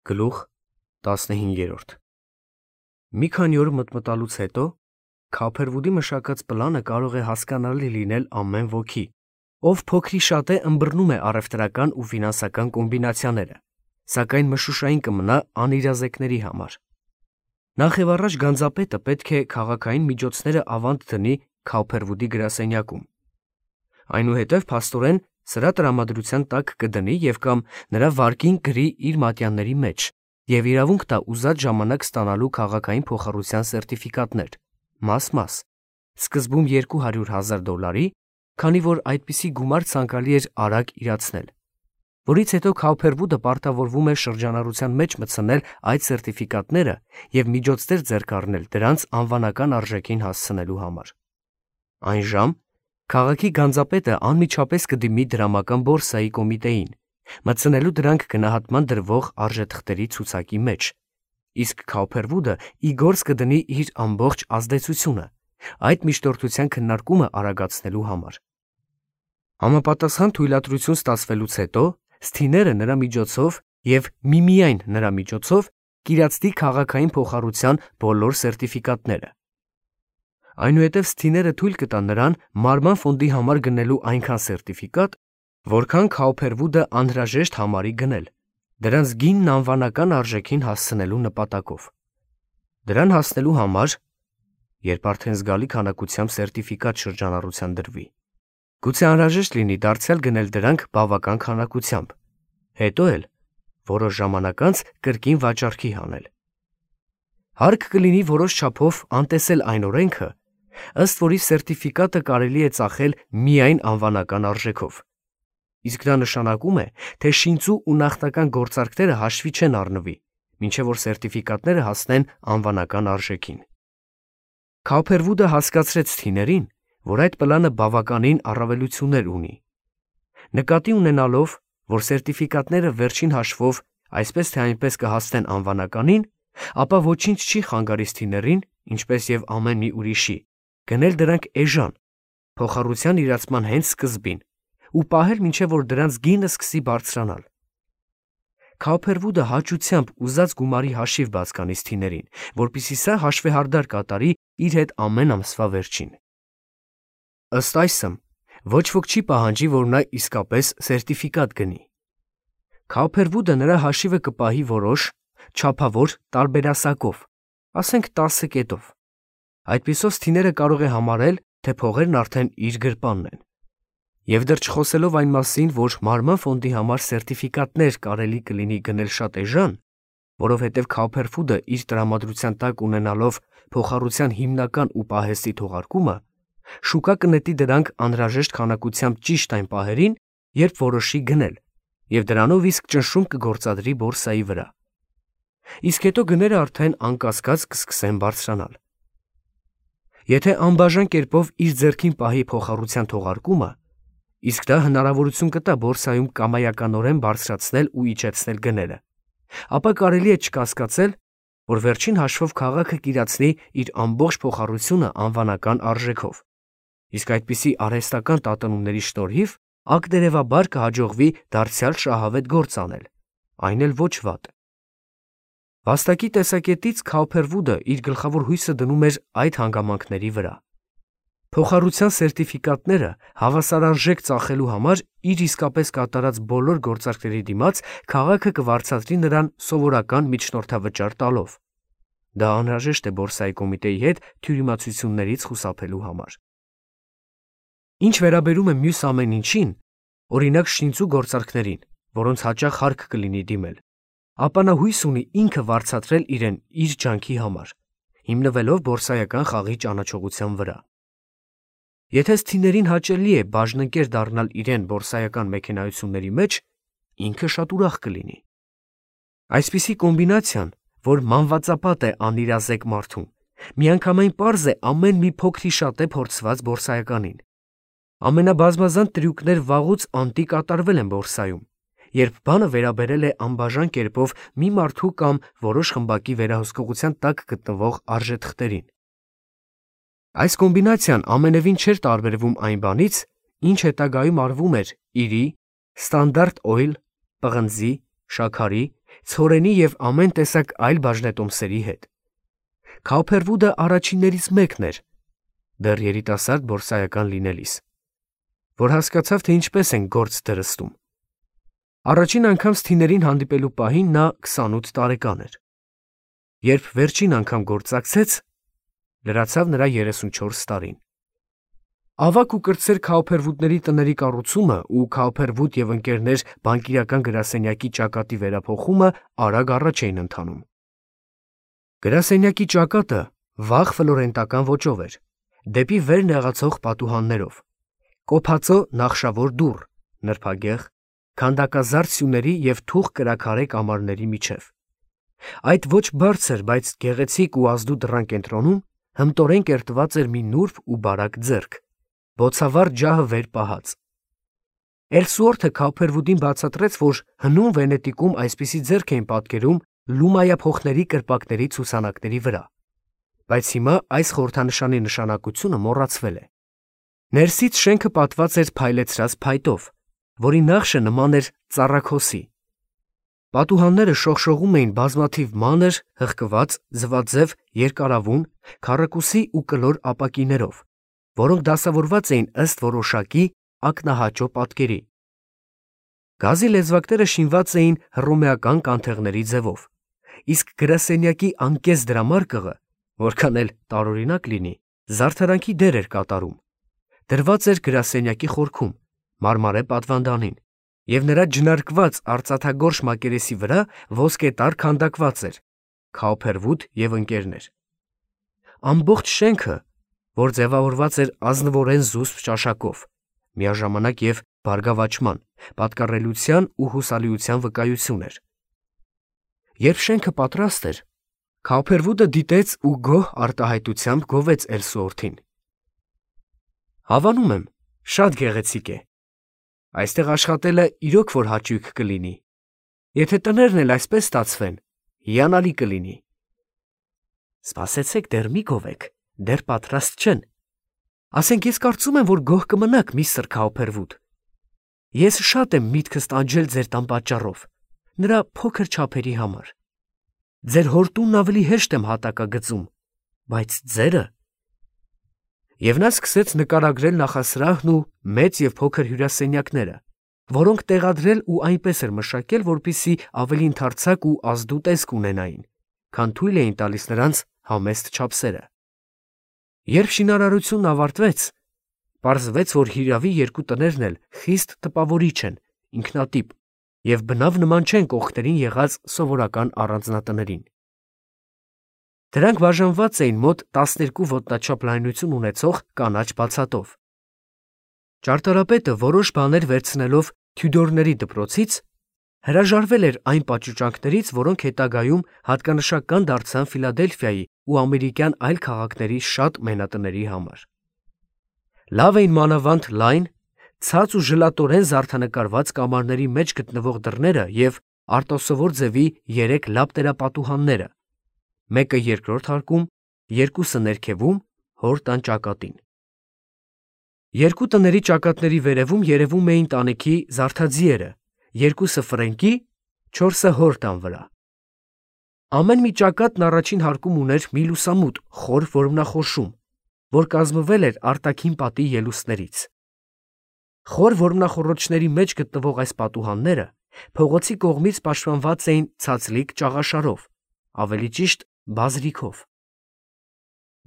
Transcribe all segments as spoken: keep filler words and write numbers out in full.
Գլուխ տասնհինգերորդ Մի քանի օր մտմտալուց հետո Քափերվուդի մշակած պլանը կարող է հասկանալի լինել ամեն ոքի, ով փոքրիշատե ըմբռնում է առևտրական ու ֆինանսական կոմբինացիաները, սակայն մշուշային կմնա անիրազեկների համար։ Նախ եւ առաջ գանձապետը պետք է քաղաքային միջոցները ավանդ դնի Քափերվուդի գրասենյակում։ Այնուհետև փաստորեն սրա տրամադրության տակ կդնի եւ կամ նրա վարկին գրի իր մատյանների մեջ եւ իրավունք տա ուզած ժամանակ ստանալու քաղաքային փոխառության սերտիֆիկատներ, մաս-մաս, սկզբում երկու հարյուր հազար դոլարի, քանի որ այդպիսի գումար ցանկալի էր արագ իրացնել, որից հետո Քափերվուդը պարտավորվում է շրջանառության մեջ մտցնել այդ սերտիֆիկատները եւ միջոցներ ձեռք առնել դրանց անվանական արժեքին հասցնելու համար։ Այն ժամ քաղաքի գանձապետը անմիջապես կդիմի դրամական բորսայի կոմիտեին, մտցնելու դրանք գնահատման դրվող արժեթղթերի ցուցակի մեջ, իսկ Քափերվուդը ի գործ կդնի իր ամբողջ ազդեցությունը այդ միջնորդության քննարկումը արագացնելու համար։ Համապատասխան թույլատրություն ստացվելուց հետո Սթիները նրա միջոցով եւ միմիայն նրա միջոցով կիրացնի քաղաքային փոխառության բոլոր սերտիֆիկատները։ Այնուհետև Սթիները թույլ կտան նրան մարման ֆոնդի համար գնելու այնքան սերտիֆիկատ, որքան Քափերվուդը անհրաժեշտ համարի գնել, դրանց գինն անվանական արժեքին հասցնելու նպատակով։ Դրան հասնելու համար, երբ արդեն զգալի քանակությամբ սերտիֆիկատ շրջանառության դրվի, գուցե անհրաժեշտ լինի դարձյալ գնել դրանք բավական քանակությամբ, հետո էլ որոշ ժամանակ անց կրկին վաճառքի հանել։ Հարկ կլինի որոշ չափով անտեսել այն օրենքը, ըստ որի սերտիֆիկատը կարելի է ծախել միայն անվանական արժեքով, իսկ դա նշանակում է, թե շինծու ու նախնական գործարքները հաշվի չեն առնվի, մինչև որ սերտիֆիկատները հասնեն անվանական արժեքին։ Քափերվուդը հասկացրեց Սթիներին, որ այդ պլանը բավականին առավելություններ ունի։ Նկատի ունենալով, որ սերտիֆիկատները վերջին հաշվով այսպես թե այնպես կհասնեն անվանականին, ապա ոչինչ չի խանգարի Սթիներին, ինչպես եւ ամեն մի ուրիշի, գնել դրանք էժան, փոխառության իրացման հենց սկզբին, ու պահել մինչև որ դրանց գինը սկսի բարձրանալ։ Քափերվուդը հաճությամբ ուզած գումարի հաշիվ բաց կանի Սթիներին, որպեսզի սա հաշվեհարդար կատարի իր հետ ամեն ամսվա վերջին։ Ըստ այսմ, ոչ ոք չի պահանջի, որ նա իսկապես սերտիֆիկատ գնի։ Քափերվուդը նրա հաշիվը կպահի որոշ, չափավոր տարբերասակով, ասենք տասը կետով։ Այդպիսով Սթիները կարող է համարել, թե փողերն արդեն իր գրպանն են։ Եվ դեռ չխոսելով այն մասին, որ մարման ֆոնդի համար սերտիֆիկատներ կարելի կլինի գնել շատ էժան, որովհետև Քափերվուդը իր տրամադրության տակ ունենալով փոխառության հիմնական ու պահեստի թողարկումը, շուկա կնետի դրանք անհրաժեշտ քանակությամբ ճիշտ այն պահերին, երբ որոշի գնել, եւ դրանով իսկ ճնշում կգործադրի բորսայի վրա։ Իսկ հետո գները արդեն անկասկած կսկսեն բարձրանալ։ Եթե անբաժան կերպով իր ձեռքին պահի փոխառության թողարկումը, իսկ դա հնարավորություն կտա բորսայում կամայականորեն բարձրացնել ու իջեցնել գները, ապա կարելի է չկասկածել, որ վերջին հաշվով քաղաքը կիրացնի իր ամբողջ փոխառությունը անվանական արժեքով, իսկ այդպիսի արհեստական տատանումների շնորհիվ ակտերևաբար կհաջողվի դարձյալ շահավետ գործ անել, այն էլ ոչ վատ։ Վաստակի տեսակետից Քափերվուդը իր գլխավոր հույսը դնում էր այդ հանգամանքների վրա։ Փոխառության սերտիֆիկատները հավասարարժեք ծախելու համար իր իսկապես կատարած բոլոր գործարքների դիմաց քաղաքը կվարձատրի նրան սովորական միջնորդավճար տալով։ Դա անհրաժեշտ է բորսայի կոմիտեի հետ թյուրիմացություններից խուսափելու համար։ Ինչ վերաբերում է մյուս ամեն ինչին, օրինակ շինծու գործարքներին, որոնց հաճախ հարկ կլինի դիմել, ապա նա հույս ունի ինքը վարձատրել իրեն իր ջանքի համար, հիմնվելով բորսայական խաղի ճանաչողության վրա։ Եթե Սթիներին հաճելի է բաժնընկեր դառնալ իրեն բորսայական մեքենայությունների մեջ, ինքը շատ ուրախ կլինի։ Այսպիսի կոմբինացիան, որ մանվածապատ է անիրազեկ մարդուն, միանգամայն պարզ է ամեն մի փոքրիշատե փորձված բորսայականին։ Ամենաբազմազան տրյուկներ վաղուց անտի կատարվել են բորսայում, երբ բանը վերաբերել է անբաժան կերպով մի մարդու կամ որոշ խմբակի վերահսկողության տակ գտնվող արժեթղթերին։ Այս կոմբինացիան ամենևին չէր տարբերվում այն բանից, ինչ հետագայում արվում էր իրի, Standard Oil, պղնձի, շաքարի ցորենի և ամեն տեսակ այլ բաժնետոմսերի հետ։ Քաուփերվուդը առաջիններից մեկն էր, դեռ երիտասարդ բորսայական լինելիս, որ հասկացավ, թե ինչպես են գործ դրստում։ Առաջին անգամ Սթիներին հանդիպելու պահին նա քսանութ տարեկան էր։ Երբ վերջին անգամ գործակցեց, լրացավ նրա երեսունչորս տարին։ Ավագ ու կրտսեր Քաուփերվուդների տների կառուցումը ու Քաուփերվուդ և ընկերներ բանկիրական գրասենյակի ճակատի վերափոխումը արագ առաջ էին ընթանում։ Գրասենյակի ճակատը վաղ ֆլորենտական ոճով էր, դեպի վեր նեղացող պատուհաններով, կոփածո նախշավոր դուռ, նրբագեղ, քանդակազարդ սյուների և թուխ կրաքարե կամարների միջև։ Այդ ոչ բարձր, բայց գեղեցիկ ու ազդու դռան կենտրոնում հմտորեն կերտված էր մի նուրբ ու բարակ ձեռք, բոցավառ ջահը վեր պահած։ Էլսուորթը Քաուփերվուդին բացատրեց, որ հնում Վենետիկում այսպիսի ձեռք էին պատկերում լումայափոխների կրպակների ցուցանակների վրա, բայց հիմա այս խորհրդանշանի նշանակությունը մոռացվել է։ Ներսից շենքը պատված էր փայլեցրած փայտով, որի նախշը նման էր ծառաքոսի։ Պատուհանները շողշողում էին բազմաթիվ մանր, հղկված, ձվաձև, երկարավուն, քառակուսի ու կլոր ապակիներով, որոնք դասավորված էին ըստ որոշակի ակնահաճո պատկերի։ Գազի լեզվակները շինված էին հռոմեական կանթեղների ձևով, իսկ գրասենյակի անկես դրամարկղը, որքան էլ տարօրինակ լինի, զարդարանքի դեր էր կատարում, դրված էր գրասենյակի խորքում, մարմարե պատվանդանին, և նրա ջնարկված արծաթագորշ մակերեսի վրա ոսկետար քանդակված էր Քաուփերվուդ և ընկերներ։ Ամբողջ շենքը, որ ձևավորված էր ազնվորեն զուսպ ճաշակով, միաժամանակ և բարգավաճման, պատկառելիության ու հուսալիության վկայություն էր։ Երբ շենքը պատրաստ էր, Քաուփերվուդը դիտեց ու գոհ արտահայտությամբ գովեց Էլսուորթին։ Հավանում եմ, շատ գեղեցիկ է։ Այստեղ աշխատելը իրոք որ հաճույք կլինի։ Եթե տներն էլ այսպես ստացվեն, հիանալի կլինի։ Սպասեցեք, դեռ մի գովեք, դեռ պատրաստ չեն։ Ասենք ես կարծում եմ, որ գոհ կմնաք, միստր Քաուփերվուդ։ Ես շատ եմ միտքս տանջել ձեր տան պատճառով, նրա փոքր չափերի համար։ Ձեր հորտունն ավելի հեշտ եմ հատակագծում, բայց ձերը… Եվ նա սկսեց նկարագրել նախասրահն ու մեծ և փոքր հյուրասենյակները, որոնք տեղադրել ու այնպես էր մշակել, որպեսզի ավելի ընդարձակ ու ազդու տեսք ունենային, քան թույլ էին տալիս նրանց համեստ չափսերը։ Երբ շինարարությունն ավարտվեց, պարզվեց, որ հիրավի երկու տներն էլ խիստ տպավորիչ են, ինքնատիպ և բնավ նման չեն կողքերին եղած սովորական առանձնատներին։ Դրանք բաժանված էին մոտ տասներկու ոտնաչափ լայնություն ունեցող կանաչ բացատով։ Ճարտարապետը որոշ բաներ վերցնելով Թյուդորների դպրոցից, հրաժարվել էր այն պատշուճանքներից, որոնք հետագայում հատկանշական դարձան Ֆիլադելֆիայի ու ամերիկյան այլ քաղաքների շատ մենատների համար։ Լավ էին մանավանդ լայն, ցած ու ժլատորեն զարդանկարված կամարների մեջ գտնվող դռները և արտասովոր ձևի երեք լապտերապատուհանները, մեկը երկրորդ հարկում, երկուսը ներքևում, հոր տան ճակատին։ Երկու տների ճակատների վերևում երևում էին տանիքի զարդաձիերը, երկուսը ֆրենկի, չորսը հոր տան վրա։ Ամեն մի ճակատն առաջին հարկում ուներ մի լուսամուտ խոր որմնախորշում, որ կազմվել էր արտաքին պատի ելուստներից։ Խոր որմնախոռոչների մեջ գտնվող այս պատուհանները փողոցի կողմից պաշտպանված էին ցածլիկ ճաղաշարով, ավելի ճիշտ բազրիքով։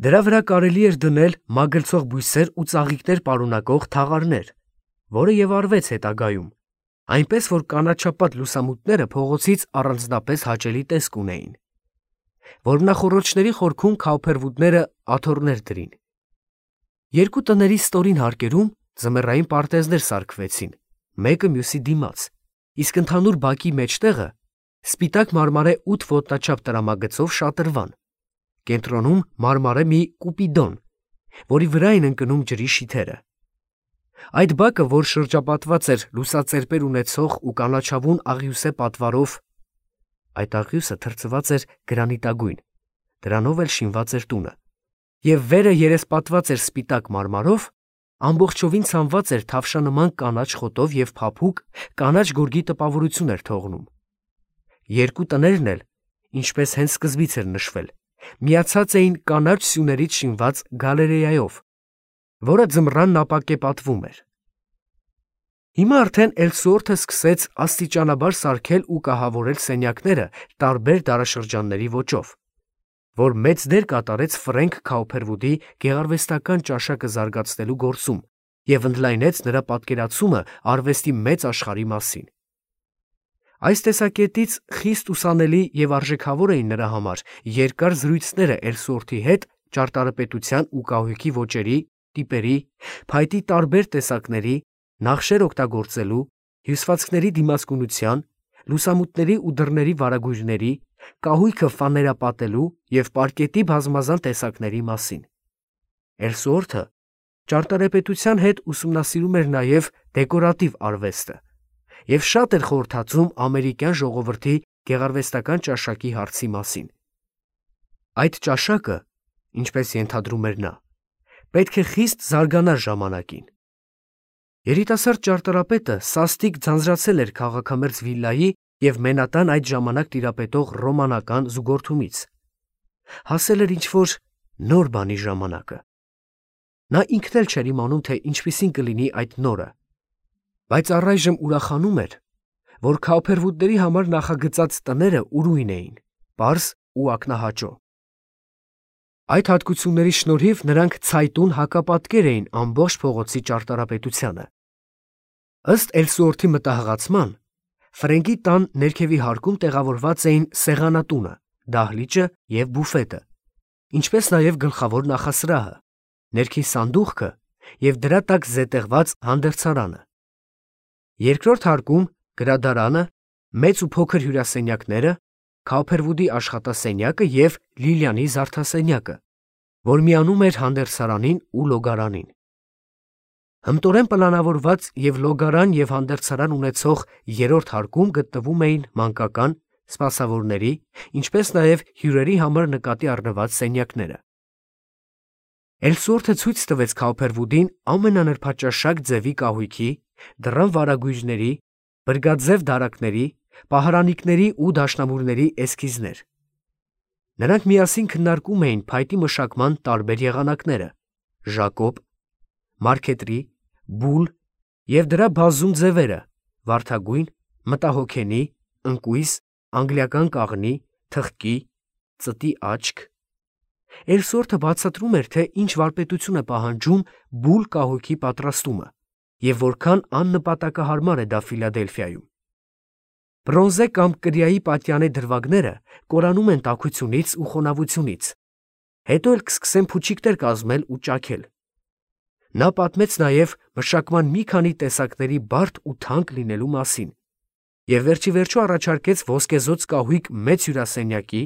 Դրա վրա կարելի էր դնել մագլցող բույսեր ու ծաղիկներ պարունակող թաղարներ, որը և արվեց հետագայում, այնպես որ կանաչապատ լուսամուտները փողոցից առանձնապես հաճելի տեսք ունեին։ Որմնախոռոչների խորքում Քաուփերվուդները աթոռներ դրին։ Երկու տների ստորին հարկերում ձմեռային պարտեզներ սարքվեցին, մեկը մյուսի դիմաց, իսկ ընդհանուր բակի մեջտեղը սպիտակ մարմարե ութ ոտնաչափ տրամագծով շատրվան, կենտրոնում մարմարե մի կուպիդոն, որի վրա էին ընկնում ջրի շիթերը։ Այդ բակը, որ շրջապատված էր լուսածերպեր ունեցող ու կանաչավուն աղյուսե պատվարով, այդ աղյուսը թրծված էր գրանիտագույն, դրանով էլ շինված էր տունը, և վերը երեսպատված էր սպիտակ մարմարով, ամբողջովին ցանված էր թավշանման կանաչ խոտով և փափուկ կանաչ գորգի տպավորություն էր թողնում։ երկու տներն էլ, ինչպես հենց սկզբից էր նշվել, միացած էին կանաչ սյուներից շինված գալերեայով, որը ձմռանն ապակե պատվում էր։ Հիմա արդեն Էլսուորթը սկսեց աստիճանաբար սարքել ու կահավորել սենյակները տարբեր դարաշրջանների ոճով, որ մեծ դեր կատարեց Ֆրենկ Քաուփերվուդի գեղարվեստական ճաշակը զարգացնելու գործում և ընդլայնեց նրա պատկերացումը արվեստի մեծ աշխարհի մասին։ Այս տեսակետից խիստ ուսանելի և արժեքավոր էին նրա համար երկար զրույցները Էլսուորթի հետ ճարտարապետության ու կահույքի ոճերի, տիպերի, փայտի տարբեր տեսակների, նախշեր օգտագործելու, հյուսվածքների դիմացկունության, լուսամուտների ու դռների վարագույրների, կահույքը ֆաներապատելու և պարկետի բազմազան տեսակների մասին։ Էլսուորթը ճարտարապետության հետ ուսումնասիրում էր նաև դեկորատիվ արվեստը և շատ էր խորհրդածում ամերիկյան ժողովրդի գեղարվեստական ճաշակի հարցի մասին։ Այդ ճաշակը, ինչպես ենթադրում էր նա, պետք է խիստ զարգանար ժամանակին։ Երիտասարդ ճարտարապետը սաստիկ ձանձրացել էր քաղաքամերձ վիլայի և Մենհատան այդ ժամանակ տիրապետող ռոմանական զուգորդումից։ Հասել էր ինչ-որ նոր բանի ժամանակը։ Նա ինքն էլ չէր իմանում, թե ինչպիսին կլինի այդ նորը, բայց առայժմ ուրախանում էր, որ Քաուփերվուդների համար նախագծած տները ուրույն էին, պարզ ու ակնահաճո։ Այդ հատկությունների շնորհիվ նրանք ցայտուն հակապատկեր էին ամբողջ փողոցի ճարտարապետությանը։ Ըստ Էլսուորթի մտահղացման, Ֆրենկի տան ներքևի հարկում տեղավորված էին սեղանատունը, դահլիճը և բուֆետը, ինչպես նաև գլխավոր նախասրահը, ներքին սանդուղքը և դրա տակ զետեղված հանդերձարանը։ Երկրորդ հարկում գրադարանը, մեծ ու փոքր հյուրասենյակները, Քաուփերվուդի աշխատասենյակը և Լիլիանի զարդասենյակը, որ միանում էր հանդերձարանին ու լոգարանին։ Հմտորեն պլանավորված և լոգարան և հանդերձարան ունեցող երրորդ հարկում գտնվում էին մանկական, սպասավորների, ինչպես նաև հյուրերի համար նկատի առնված սենյակները։ Էլսուորթը ցույց տվեց Քաուփերվուդին ամենանրբաճաշակ ձևի կահույքի, դռան վարագույրների, բրգաձև դարակների, պահարանիկների ու դաշնամուրների էսքիզներ։ Նրանք միասին քննարկում էին փայտի մշակման տարբեր եղանակները՝ ժակոբ, մարքետրի, բուլ և դրա բազում ձևերը՝ վարդագույն, մտահոգենի, ընկույզ, անգլիական կաղնի, թխկի, ծտի աչք։ Էլսուորթը բացատրում էր, թե ինչ վարպետություն է պահանջում բուլ կահույքի պատրաստումը և որքան աննպատակահարմար է դա Ֆիլադելֆիայում։ Բրոնզե կամ կրիայի պատյանե դրվագները կորանում են տաքությունից ու խոնավությունից, հետո էլ կսկսեն փուչիկներ կազմել ու ճաքել։ Նա պատմեց նաև մշակման մի քանի տեսակների բարդ ու թանկ լինելու մասին և վերջիվերջո առաջարկեց ոսկեզօծ կահույք մեծ հյուրասենյակի,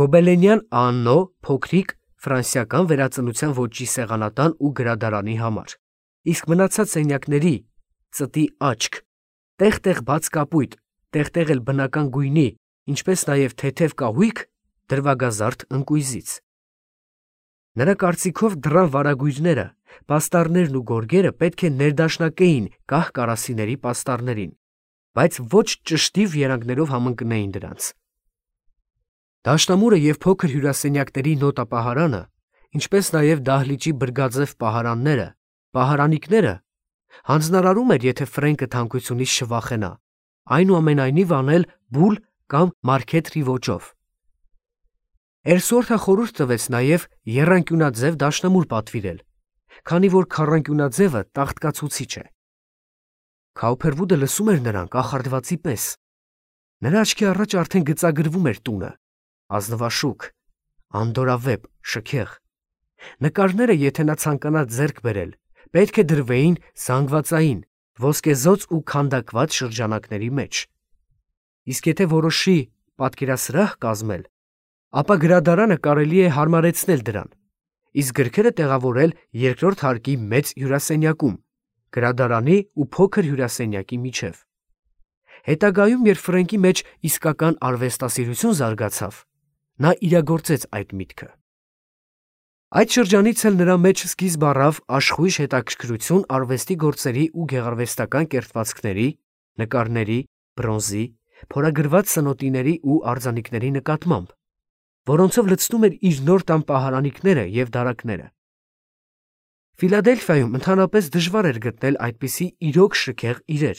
գոբելենյան Աաննո փոքրիկ ֆրանսիական վերածնության ոճի սեղանատան ու գրադարանի համար, իսկ մնացած սենյակների՝ ծտի աչք, տեղ-տեղ բաց կապույտ, տեղ-տեղ էլ բնական գույնի, ինչպես նաև թեթև կահույք դրվագազարդ ընկույզից։ Նրա կարծիքով դռան վարագույրները, պաստառներն ու գորգերը պետք է ներդաշնակեին կահ կարասիների պաստառներին, բայց ոչ ճշտիվ երանգներով համընկնեին դրանց։ Դաշնամուրը և փոքր հյուրասենյակների նոտապահարանը, ինչպես նաև դահլիճի բրգաձև պահարանները, պահարանիկները հանձնարարում էր, եթե Ֆրենկը թանկությունից չվախենա, այնուամենայնիվ անել բուլ կամ մարքետրի ոճով։ Էլսուորթը խորհուրդ տվեց նաև եռանկյունաձև դաշնամուր պատվիրել, քանի որ քառանկյունաձևը տաղտկացուցիչ է։ Քաուփերվուդը լսում էր նրան կախարդվածի պես։ Նրա աչքի առաջ արդեն գծագրվում էր տունը՝ ազնվաշուք, անդորավեպ, շքեղ։ Նկարները, եթե նա ցանկանար ձեռք բերել, պետք է դրվեին զանգվածային, ոսկեզօծ ու քանդակված շրջանակների մեջ։ Իսկ եթե որոշի պատկերասրահ կազմել, ապա գրադարանը կարելի է հարմարեցնել դրան, իսկ գրքերը տեղավորել երկրորդ հարկի մեծ հյուրասենյակում, գրադարանի ու փոքր հյուրասենյակի միջև։ Հետագայում, երբ Ֆրենկի մեջ իսկական արվեստասիրություն զարգացավ, նա իրագործեց այդ միտքը։ Այդ շրջանից էլ նրա մեջ սկիզբ առավ աշխույժ հետաքրքրություն արվեստի գործերի ու գեղարվեստական կերտվածքների, նկարների, բրոնզի, փորագրված սնոտիների ու արձանիկների նկատմամբ, որոնցով լցնում էր իր նոր տան պահարանիկները և դարակները։ Ֆիլադելֆիայում ընդհանրապես դժվար էր գտնել այդպիսի իրոք շքեղ իրեր,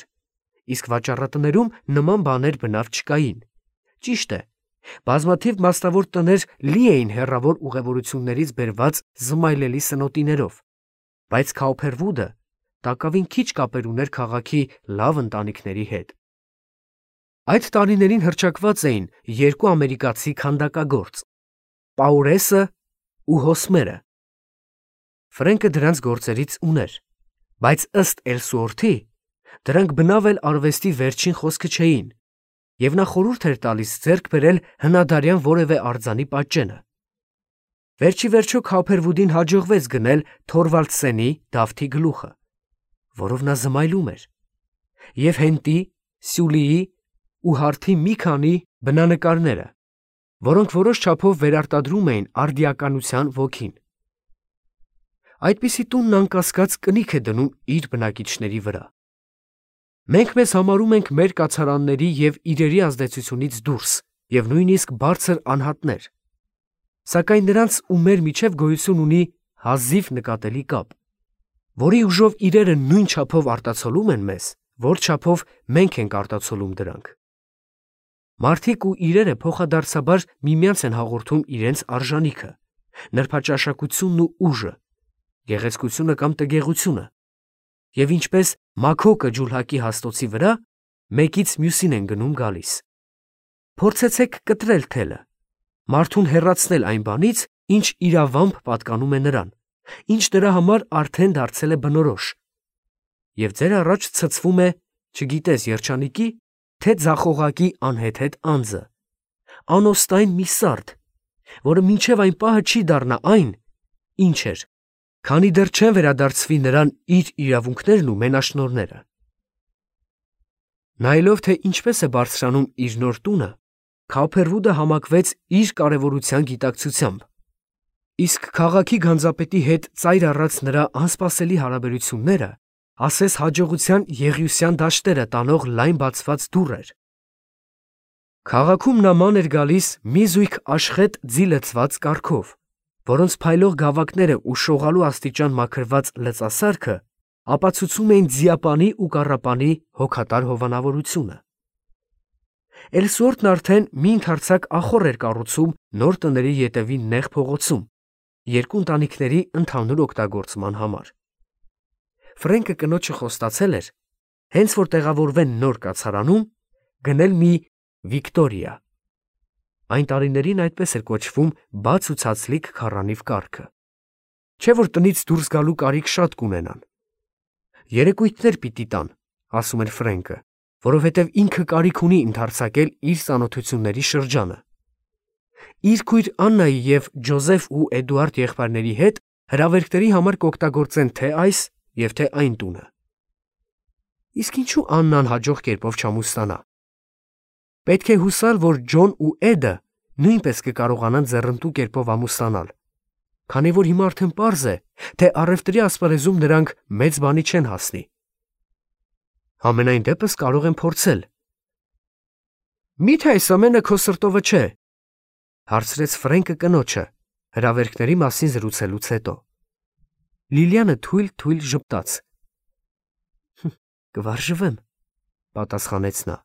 իսկ վաճառատներում նման բաներ բնավ չկային։ Ճիշտ է, բազմաթիվ մասնավոր տներ լի էին հեռավոր ուղևորություններից բերված զմայլելի սնոտիներով, բայց Քաուփերվուդը տակավին քիչ կապեր ուներ քաղաքի լավ ընտանիքների հետ։ Այդ տարիներին հռչակված էին երկու ամերիկացի քանդակագործ՝ Պաուրեսը ու Հոսմերը։ Ֆրենկը դրանց գործերից ուներ, բայց ըստ Էլսուորթի դրանք բնավ էլ արվեստի վերջին խոսքը չէին, և նա խորհուրդ էր տալիս ձեռք բերել հնադարյան որևէ արձանի պատճենը։ Վերջ ի վերջո Քաուփերվուդին հաջողվեց գնել Թորվալդսենի Դավթի գլուխը, որով նա զմայլում էր, և Հենտի, Սյուլիի ու Հարթի մի քանի բնանկարները, որոնք որոշ չափով վերարտադրում էին արդիականության ոգին։ Այդպիսի տունն անկասկած կնիք է դնում իր բնակիչների վրա։ Մենք մեզ համարում ենք մեր կացարանների և իրերի ազդեցությունից դուրս և նույնիսկ բարձր անհատներ, սակայն նրանց ու մեր միջև գոյություն ունի հազիվ նկատելի կապ, որի ուժով իրերը նույն չափով արտացոլում են մեզ, որ չափով մենք ենք արտացոլում դրանք։ Մարդիկ ու իրերը փոխադարձաբար միմյանց են հաղորդում իրենց արժանիքը, նրբաճաշակությունն ու ուժը, գեղեցկությունը կամ տգեղությունը, և ինչպես մաքոկը ջուլհակի հաստոցի վրա, մեկից մյուսին են գնում գալիս։ Փորձեցեք կտրել թելը, մարդուն հեռացնել այն բանից, ինչ իրավամբ պատկանում է նրան, ինչ նրա համար արդեն դարձել է բնորոշ, և ձեր առաջ ցցվում է, չգիտես երջանիկի, թե ձախողակի անհեթեթ անձը, անոստային մի սարդ, որը մինչև այն պահը չի դառնա այն, ինչ էր, քանի դեռ չեն վերադարձվի նրան իր իրավունքներն ու մենաշնորհները։ Նայելով, թե ինչպես է բարձրանում իր նոր տունը, Քաուփերվուդը համակվեց իր կարևորության գիտակցությամբ, իսկ քաղաքի գանձապետի հետ ծայր առած նրա անսպասելի հարաբերությունները ասես հաջողության եղիության դաշտերը տանող լայն բացված դուռ էր։ Քաղաքում նման էր գալիս մի զույգ աշխետ ձի լցված կառքով, որոնց փայլող գավակները ու շողալու աստիճան մաքրված լծասարքը ապացուցում էին ձիապանի ու կառապանի հոգատար հովանավորությունը։ Էլսուորթն արդեն մի ընդարձակ ախոռ էր կառուցում նոր տների ետևի նեղ փողոցում, երկու ընտանիքների ընդհանուր օգտագործման համար։ Ֆրենկը կնոջը խոստացել էր, հենց որ տեղավորվեն նոր կացարանում, գնել մի Վիկտորիա։ Այն տարիներին այդպես էր կոչվում բաց ու ցածլիկ քառանիվ կառքը։ Չէ որ տնից դուրս գալու կարիք շատ կունենան։ Երեկույթներ պիտի տան, ասում էր Ֆրենկը, որովհետև ինքը կարիք ունի ընդարձակել իր ծանոթությունների շրջանը։ Իր քույր Աննայի և Ջոզեֆ ու Էդուարդ եղբայրների հետ հրավերքների համար կօգտագործեն թե այս և թե այն տունը։ Իսկ ինչու Աննան հաջող կերպով չամուսնանա։ Պետք է հուսալ, որ Ջոն ու Էդը նույնպես կկարողանան ձեռնտու կերպով ամուսնանալ, քանի որ հիմա արդեն պարզ է, թե առևտրի ասպարեզում նրանք մեծ բանի չեն հասնի։ Համենայն դեպս կարող են փորձել։ Մի՞թե այս ամենը քո սրտովը չէ, հարցրեց Ֆրենկը կնոջը, հրավերքների մասին զրուցելուց հետո։ Լիլիանը թույլ-թույլ ժպտաց։ Կվարժվեմ, պատասխանեց նա։